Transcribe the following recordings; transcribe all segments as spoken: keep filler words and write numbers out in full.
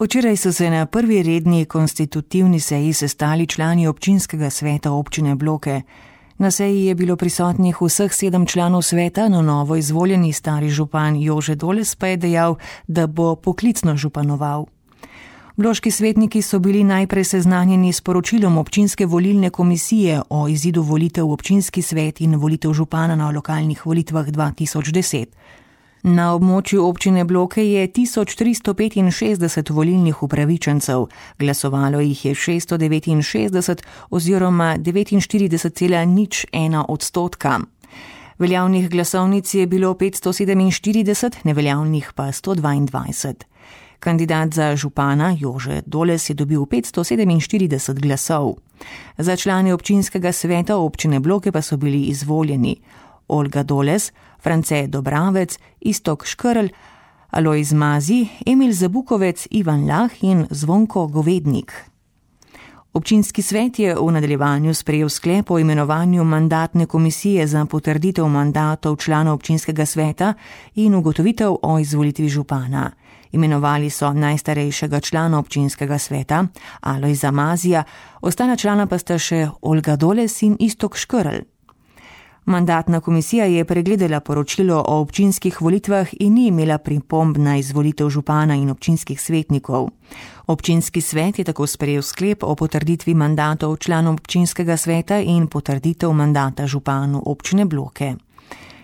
Včeraj so se na prvi redni konstitutivni seji sestali člani občinskega sveta občine Bloke. Na seji je bilo prisotnih vseh sedem članov sveta, na novo izvoljeni stari župan Jože Doles pa je dejal, da bo poklicno županoval. Bloški svetniki so bili najprej seznanjeni s poročilom občinske volilne komisije o izidu volitev v občinski svet in volitev župana na lokalnih volitvah dva tisoč deset. Na območju občine Bloke je tisoč tristo petinšestdeset volilnih upravičencev, glasovalo jih je šeststo devetinšestdeset oziroma devetinštirideset cela nič ena odstotka. Veljavnih glasovnic je bilo petsto sedeminštirideset, neveljavnih pa sto dvaindvajset. Kandidat za župana Jože Doles je dobil petsto sedeminštirideset glasov. Za člane občinskega sveta občine Bloke pa so bili izvoljeni Olga Doles, France Dobravec, Iztok Škrl, Alojz Mazi, Emil Zabukovec, Ivan Lah in Zvonko Govednik. Občinski svet je v nadaljevanju sprejel sklep o imenovanju mandatne komisije za potrditev mandatov članov občinskega sveta in ugotovitev o izvolitvi župana. Imenovali so najstarejšega člana občinskega sveta, Alojza Mazija, ostala člana pa sta še Olga Doles in Iztok Škrl. Mandatna komisija je pregledala poročilo o občinskih volitvah in ni imela pripomb na izvolitev župana in občinskih svetnikov. Občinski svet je tako sprejel sklep o potrditvi mandatov članov občinskega sveta in potrditev mandata županu občine Bloke.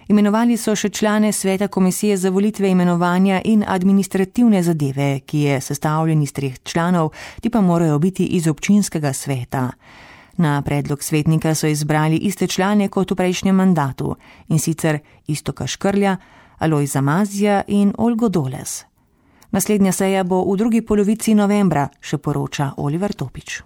Imenovali so še člane sveta komisije za volitve, imenovanja in administrativne zadeve, ki je sestavljen iz treh članov, ti pa morajo biti iz občinskega sveta. Na predlog svetnika so izbrali iste člane kot v prejšnjem mandatu, in sicer Iztoka Škrlja, Alojza Mazija in Olgo Doles. Naslednja seja bo v drugi polovici novembra, še poroča Oliver Topič.